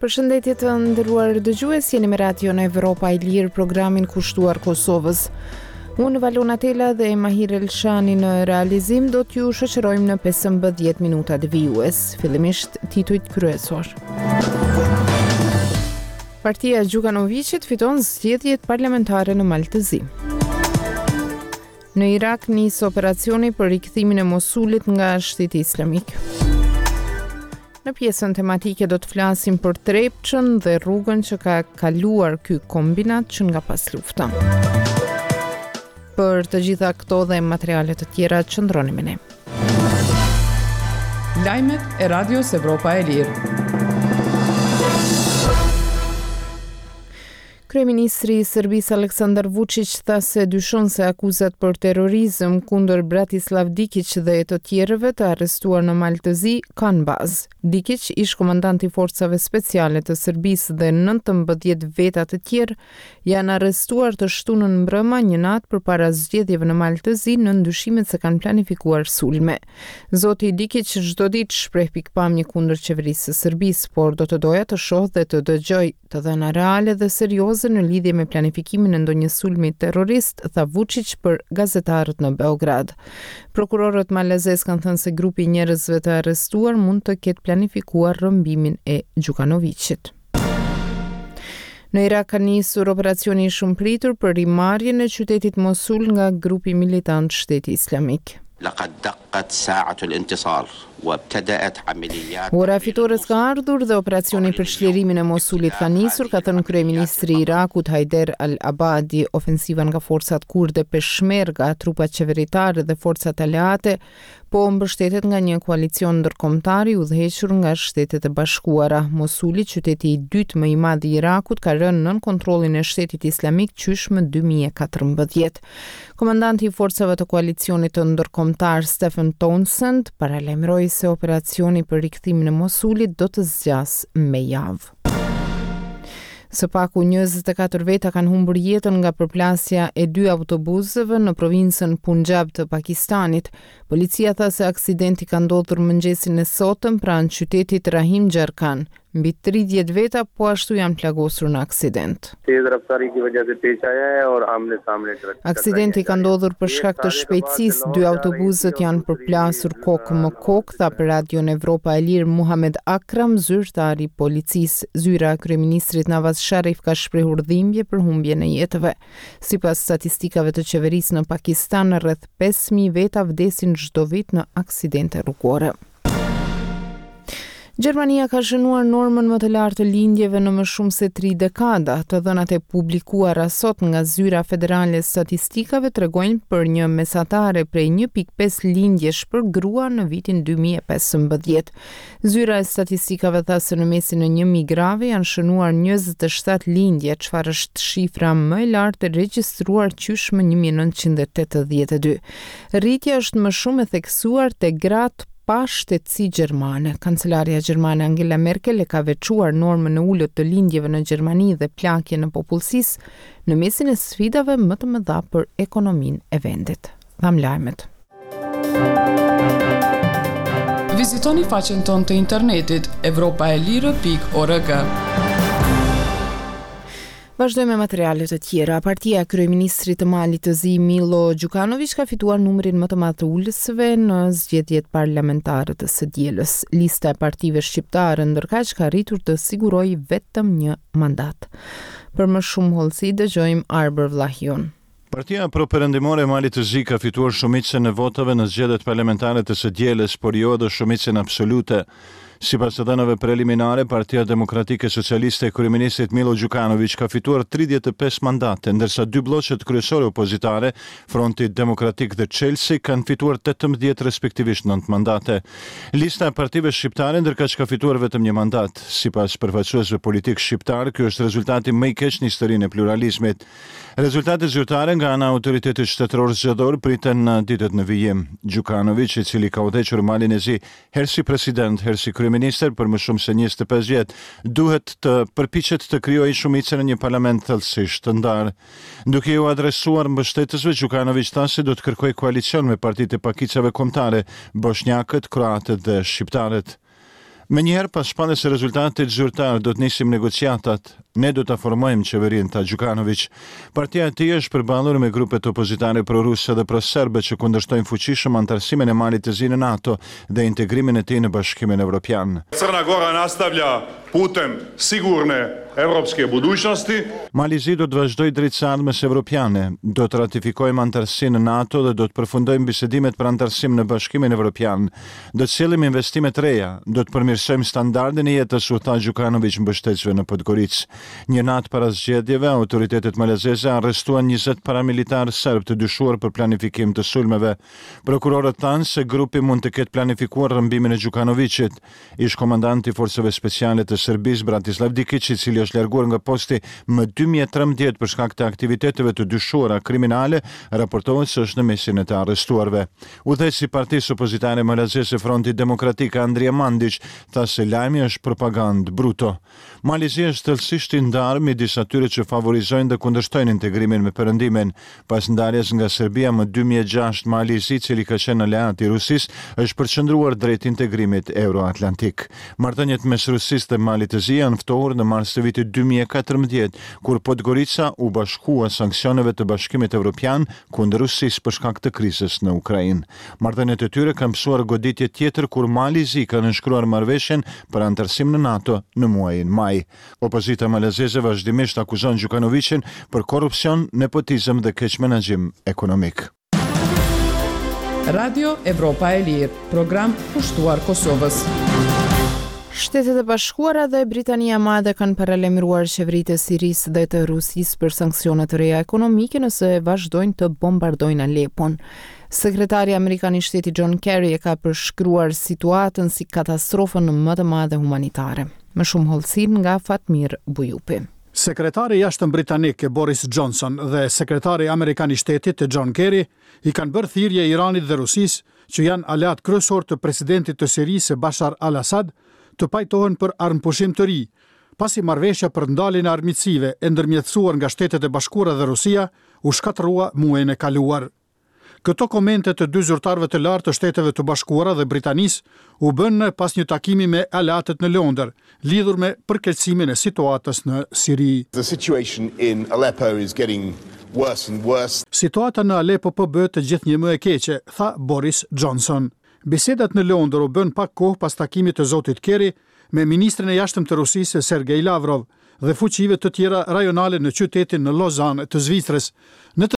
Përshëndetje të nderuar dëgjues, jeni me Radion Evropa e Lirë, programin kushtuar Kosovës. Unë Valona Tela dhe Mahir Elshani në realizim do t'ju shoqërojmë në 15 minutat vijues. Fillimisht titujt kryesor. Partia e Gjukanoviqit fiton zgjedhjet parlamentare në Mal të Zi. Në Irak nis operacioni për rikthimin e Mosulit nga Shteti Islamik. Në pjesën tematike do të flasim për Trepçën dhe rrugën që ka kaluar ky kombinat që nga paslufta. Për të gjitha këto dhe materiale të tjera qëndroni me ne. Lajmet e Radios Evropa e Lirë. Kryeministri i Serbisë Aleksandar Vuçiq tha se dyshon se akuzat për terrorizëm kundër Bratislav Dikiq dhe të tjerëve të arrestuar në Mal të Zi kanë bazë. Dikiq, ish-komandant i forcave speciale të Serbisë dhe 19 veta të tjerë janë arrestuar të shtunën mbrëma një natë përpara zgjedhjeve në Mal të Zi nën dyshimet se kanë planifikuar sulme. Zoti Dikiq çdo ditë shpreh pikëpamje kundër qeverisë së Serbisë, por do të doja të shoh dhe të dëgjoj Të dhëna reale dhe serioze në lidhje me planifikimin e ndonjë sulmi terrorist, tha Vuçiq për gazetarët në Beograd. Prokurorët malazezë kanë thënë se grupi i njerëzve të arrestuar mund të ketë planifikuar rrëmbimin e Gjukanoviqit. Në Irak ka nisur operacioni i shumëpritur për rimarrjen e qytetit Mosul nga grupi militant Shteti Islamik. Laqad daqqat sa'atu al-intisar wabtada'at amaliyat Ora e fitores ka ardhur dhe operacioni për çlirimin e Mosulit ka nisur, ka thënë kryeministri i Irakut Haider al-Abadi. Ofensiva nga forcat kurde Peshmerga, trupat qeveritare dhe forcat aleate po mbështetet nga një koalicion ndërkombëtar i udhëhequr nga Shtetet e Bashkuara. Mosuli, qyteti i dytë më i madh i Irakut, ka rënë nën kontrollin e Shtetit Islamik qysh më 2014. Komandanti i forcave të koalicionit të ndërkombëtar Stephen Townsend paralajmëroi se operacioni për rikthimin e Mosulit do të zgjasë me javë. Së paku 24 veta kanë humbur jetën nga përplasja e dy autobusëve në provincën Punjab të Pakistanit. Policia tha se aksidenti ka ndodhur mëngjesin e sotëm pranë qytetit Rahim Jar Khan. Mbi 30 veta po ashtu janë plagosur në aksident. Aksidenti ka ndodhur për shkak të shpejtësisë, dy autobusët janë përplasur kokë më kokë, tha për Radion Evropa e Lirë Muhamed Akram, zyrtar i policisë. Zyra e kryeministrit Nawaz Sharif ka shprehur dhimbje për humbjen e jetëve. Sipas statistikave të qeverisë në Pakistan, rreth 5000 veta vdesin çdo vit në aksidente rrugore. Gjermania ka shënuar normën më të lartë të lindjeve në më shumë se tri dekada. Të dhënat e publikuara sot nga Zyra Federale e Statistikave tregojnë për një mesatare prej 1.5 lindjesh për grua në vitin 2015. Zyra e Statistikave tha se në mesin e 1000 grave janë shënuar 27 lindje, çfarë është shifra më e lartë e regjistruar qysh më 1982. Rritja është më shumë e theksuar te gratë pa shtetësi gjermane. Kancelarja gjermane Angela Merkel e ka veçuar normën e ulët të lindjeve në Gjermani dhe plakjen e popullsisë në mesin e sfidave më të mëdha për ekonominë e vendit. Dhamë lajmet. Vizitoni faqen tonë të internetit evropaelire.org. Vazhdojmë me materiale të tjera. Partia e kryeministrit të Malit të Zi, Milo Gjukanoviq, ka fituar numrin më të madh të ulësve në zgjedhjet parlamentare të së dielës. Lista e partive shqiptare ndërkaq ka arritur të sigurojë vetëm një mandat. Për më shumë hollësi dëgjojmë Arbër Vllahiun. Partia pro-perëndimore e Malit të Zi ka fituar shumicën e votave në zgjedhjet parlamentare të së dielës, por jo edhe shumicën absolute. Sipas të dhënave preliminare, Partia Demokratike Socialiste e kryeministrit Milo Gjukanoviq ka fituar 35 mandate, ndërsa dy blloqet kryesore opozitare, Fronti Demokratik dhe Çelësi, kanë fituar 18 respektivisht 9 mandate. Lista e partive shqiptare ndërkaq ka fituar vetëm një mandat. Sipas përfaqësuesve politikë shqiptarë, ky është rezultati më i keq në historinë e pluralizmit. Rezultatet zyrtare nga ana e Autoritetit Shtetëror Zgjedhor priten në ditët në vijim. Gjukanoviq, i cili ka udhëhequr Malin e Zi herë si president, herë si kryeministër, kryeministër për më shumë se 25 vjet, duhet të përpiqet të krijojë shumicën në një parlament thellësisht të ndarë. Duke iu adresuar mbështetësve, Gjukanoviq tha se do të kërkojë koalicion me partitë e pakicave kombëtare, boshnjakët, kroatët dhe shqiptarët. Menjëherë pas shpalljes së rezultatit zyrtar do të nisim negociatat. Ne do ta formojmë qeverinë, tha Gjukanoviq. Partia e tij është përballur me grupet opozitare pro-ruse dhe pro-serbe që kundërshtojnë fuqishëm anëtarësimin e Malit të Zi në NATO dhe integrimin e tij në Bashkimin Evropian. Crna Gora nastavlja putem sigurne evropske budućnosti. Mali i Zi do të vazhdojë drejt së ardhmes evropiane. Do të ratifikojmë anëtarësinë në NATO dhe do të përfundojmë bisedimet për anëtarësim në Bashkimin Evropian. Do të sjellim investime të reja, do të përmirësojmë standardin e jetës, u tha Gjukanoviq mbështetësve në Podgoricë. Një natë para zgjedhjeve, autoritetet malazeze arrestuan 20 paramilitarë serbë të dyshuar për planifikim të sulmeve. Prokurorët thanë se grupi mund të ketë planifikuar rrëmbimin e Gjukanoviqit. Ish-komandanti i Forcave Speciale të Serbisë, Bratislav Dikiq, i cili është larguar nga posti më 2013 për shkak të aktiviteteve të dyshuara kriminale, raportohet se është në mesin e të arrestuarve. Udhëheqësi i partisë opozitare malazeze Fronti Demokratik, Andrija Mandiq, tha se lajmi është propagandë bruto. Mali i Zi është thellësisht i ndarë midis atyre që favorizojnë dhe kundërshtojnë integrimin me Perëndimin. Pas ndarjes nga Serbia më 2006, Mali i Zi, i cili ka qenë aleat i Rusisë, është përqendruar drejt integrimit euroatlantik. Marrëdhëniet mes Rusisë dhe Malit të Zi janë ftohur në mars të vitit 2014, kur Podgorica u bashkua sanksioneve të Bashkimit Evropian kundër Rusisë për shkak të krizës në Ukrainë. Marrëdhëniet e tyre kanë pësuar goditje tjetër kur Mali i Zi ka nënshkruar marrëveshjen për anëtarësim në NATO në muajin maj. Opozita malazeze vazhdimisht akuzon Gjukanoviqin për korrupsion, nepotizëm dhe keqmenaxhim ekonomik. Radio Evropa e Lirë, program kushtuar Kosovës. Shtetet e Bashkuara dhe Britania e Madhe kanë paralajmëruar qeveritë e Sirisë dhe të Rusisë për sanksione të reja ekonomike nëse vazhdojnë të bombardojnë Alepon. Sekretari amerikan i Shtetit John Kerry e ka përshkruar situatën si katastrofën më të madhe humanitare. Më shumë hollësi nga Fatmir Bujupi. Sekretari i Jashtëm britanik Boris Johnson dhe sekretari amerikan i Shtetit John Kerry i kanë bërë thirrje Iranit dhe Rusisë, që janë aleatë kryesorë të presidentit të Sirisë Bashar al-Assad, të pajtohen për armëpushim të ri, pasi marrëveshja për ndaljen e armiqësive e ndërmjetësuar nga Shtetet e Bashkuara dhe Rusia u shkatërrua muajin e kaluar. Këto komente të dy zyrtarëve të lartë të Shteteve të Bashkuara dhe Britanisë u bënë pas një takimi me aleatët në Londër, lidhur me përkeqësimin e situatës në Siri. The situation in Aleppo is getting worse and worse. Situata në Aleppo po bëhet gjithnjë më e keqe, tha Boris Johnson. Bisedat në Londër u bënë pak kohë pas takimit të zotit Kerry me ministrin e Jashtëm të Rusisë Sergei Lavrov dhe fuqive të tjera rajonale në qytetin në Lozanë të Zvicrës, në të.